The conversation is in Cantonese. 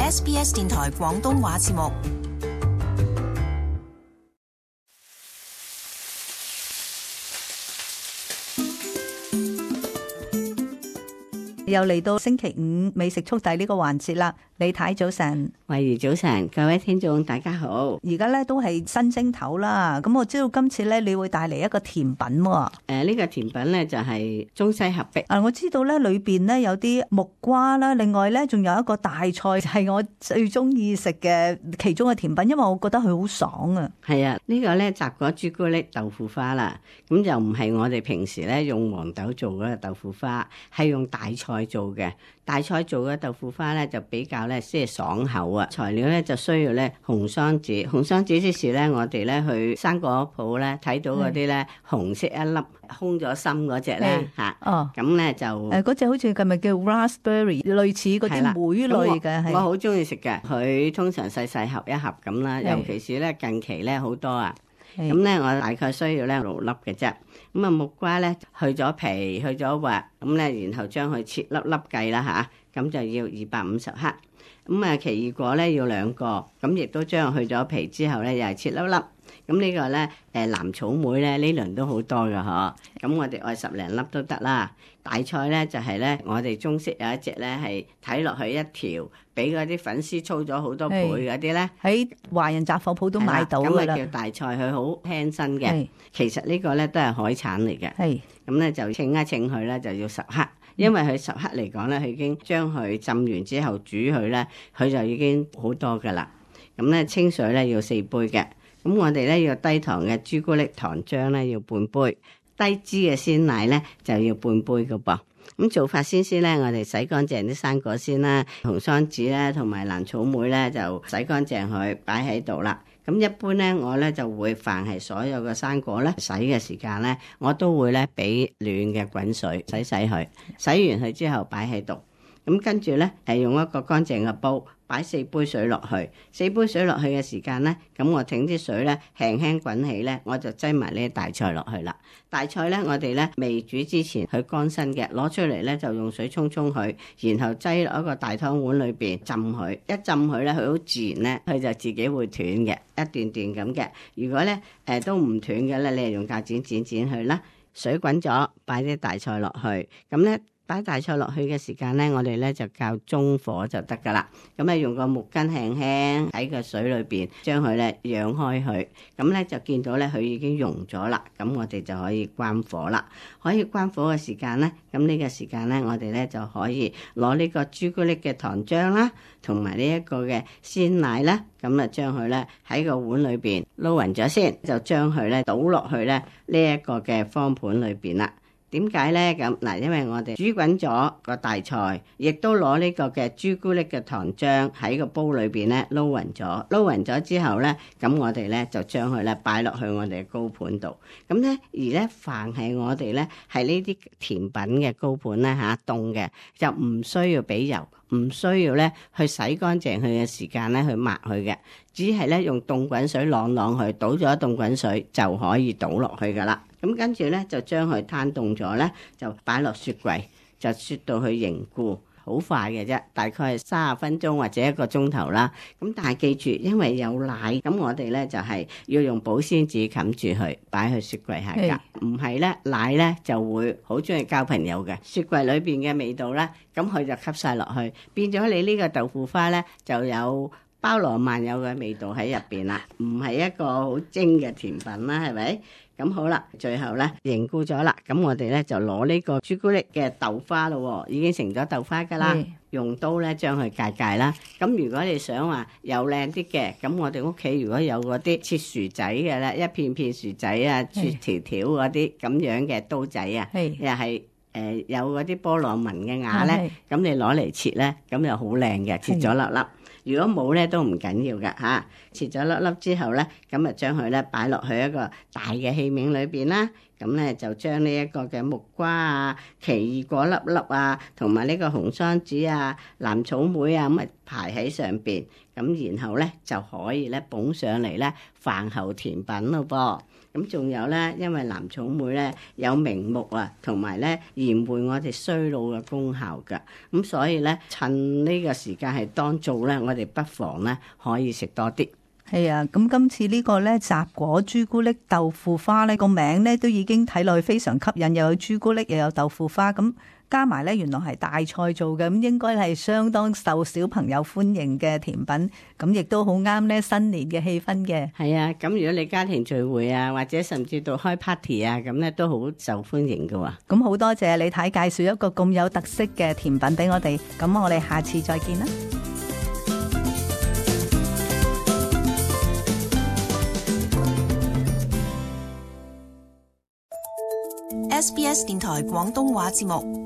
SBS 電台廣東話節目。又嚟到星期五美食速遞呢個環節啦，李太早晨，慧怡早晨，各位聽眾大家好。而家咧都係新正頭啦，咁我知道今次咧你會帶嚟一個甜品喎。呢個甜品咧就係中西合璧。我知道咧裏邊咧有啲木瓜啦，另外咧仲有一個大菜，係我最中意食嘅其中嘅甜品，因為我覺得佢好爽啊。係啊，呢個咧雜果朱古力豆腐花啦，咁就唔係我哋平時咧用黃豆做嗰個豆腐花，係用大菜做嘅。大菜做嘅豆腐花咧就比較咧即係爽口啊。材料咧就需要咧紅桑子，紅桑子即是咧我哋咧去生果鋪咧睇到嗰啲咧紅色一粒空咗心嗰隻咧嚇，咁咧就嗰隻好似係咪叫 raspberry， 類似嗰啲莓類嘅。我好中意食嘅，佢通常細細盒一盒咁啦，尤其是咧近期咧好多啊。咁咧我大概需要咧6粒嘅啫。咁啊木瓜咧去咗皮去咗核，咁咧然後將佢切粒粒計啦嚇，咁就要250克。咁啊奇異果咧要2個，咁亦都將佢去咗皮之後咧又係切粒粒。咁呢個咧藍草莓咧呢輪都好多㗎嗬，咁我哋愛10零粒都得啦。大菜咧就係咧我哋中式有一隻咧係睇落去一條比嗰啲粉絲粗咗好多倍嗰啲咧，喺華人雜貨鋪都買到㗎啦。咁啊叫大菜，佢好輕身嘅。其實呢個咧都係海產嚟嘅。咁咧就稱一稱佢咧就要10克，因為佢10克嚟講咧，佢已經將佢浸完之後煮佢咧，佢就已經好多㗎啦。咁咧清水咧要4杯嘅。咁我哋咧要低糖嘅朱古力糖漿咧要半杯，低脂嘅鮮奶咧就要半杯㗎噃。咁做法先咧，我哋洗乾淨啲生果先啦，紅桑子咧同埋藍草莓咧就洗乾淨佢擺喺度啦。咁一般咧我咧就會凡係所有嘅生果咧洗嘅時間咧，我都會咧俾暖嘅滾水洗佢，洗完佢之後擺喺度。咁跟住咧用一個乾淨嘅煲，擺4杯水落去。4杯水落去嘅時間咧，咁我整啲水咧輕輕滾起咧，我就擠埋呢啲大菜落去啦。大菜咧，我哋咧未煮之前佢乾身嘅，攞出嚟咧就用水沖佢，然後擠落一個大湯碗裏邊浸佢。一浸佢咧，佢好自然咧，佢就自己會斷嘅，一段段咁嘅。如果咧都唔斷嘅咧，你係用鉸剪剪剪佢啦。水滾咗，擺啲大菜落去，咁咧。擺大菜落去嘅時間咧，我哋咧就較中火就得噶啦。咁咧用個木棍輕輕喺個水裏邊將佢咧揚開佢，咁咧就見到咧佢已經溶咗啦。咁我哋就可以關火啦。可以關火嘅時間咧，咁呢個時間咧，我哋咧就可以攞呢個朱古力嘅糖漿啦，同埋呢一個嘅鮮奶啦，咁啊將佢咧喺個碗裏邊撈勻咗先，就將佢咧倒落去咧呢一個嘅方盤裏邊啦。點解呢？咁嗱，因為我哋煮滾咗個大菜，亦都攞呢個嘅朱古力嘅糖漿喺個煲裏邊咧撈勻咗，撈勻咗之後呢，咁我哋呢就將佢咧擺落去我哋嘅高盤度。咁呢，而呢，凡係我哋呢係呢啲甜品嘅高盤呢，凍嘅，就唔需要俾油，唔需要呢去洗乾淨佢嘅時間呢去抹佢嘅，只係呢用凍滾水啷啷佢，倒咗凍滾水就可以倒落去噶啦。咁跟住咧就將佢攤凍咗咧，就擺落雪櫃，就雪到佢凝固，好快嘅啫，大概係30分鐘或者1個鐘頭啦。咁但係記住，因為有奶，咁我哋咧就係要用保鮮紙冚住佢，擺去雪櫃下格。唔係咧，奶咧就會好中意交朋友嘅。雪櫃裏邊嘅味道咧，咁佢就吸晒落去，變咗你呢個豆腐花咧就有包羅萬有嘅味道喺入邊啦，唔係一個好精嘅甜品啦，係咪？咁好啦，最後咧凝固咗啦，咁我哋咧就攞呢個朱古力嘅豆花咯，已經成咗豆花噶啦，用刀咧將佢界界啦。咁如果你想話又靚啲嘅，咁我哋屋企如果有嗰啲切薯仔嘅咧，一片片薯仔啊，切條條嗰啲咁樣嘅刀仔啊，又係有嗰啲波浪紋嘅牙咧，咁你攞嚟切咧，咁又好靚嘅，切咗粒粒。如果冇咧都唔緊要㗎嚇，切咗粒粒之後咧，咁啊將佢咧擺落去一個大嘅器皿裏邊啦，咁咧就將呢一個嘅木瓜啊、奇異果粒粒啊，同埋呢個紅桑子啊、藍草莓啊，咁啊排喺上邊，咁然後咧就可以咧捧上嚟咧飯後甜品咯噃。咁仲有咧，因為藍草莓咧有明目啊，同埋咧延緩我哋衰老嘅功效㗎。咁所以咧，趁呢個時間係當造咧，我哋不妨咧可以食多啲。係啊，咁今次呢個咧雜果朱古力豆腐花咧個名咧都已經睇落去非常吸引，又有朱古力又有豆腐花，咁加埋咧原來係大菜做嘅，咁應該係相當受小朋友歡迎嘅甜品，咁亦都好啱咧新年嘅氣氛嘅。係啊，咁如果你家庭聚會啊，或者甚至到開 party 啊，咁咧都好受歡迎㗎喎。咁好多謝李太介紹一個咁有特色嘅甜品俾我哋，咁我哋下次再見啦。SBS 電台廣東話節目。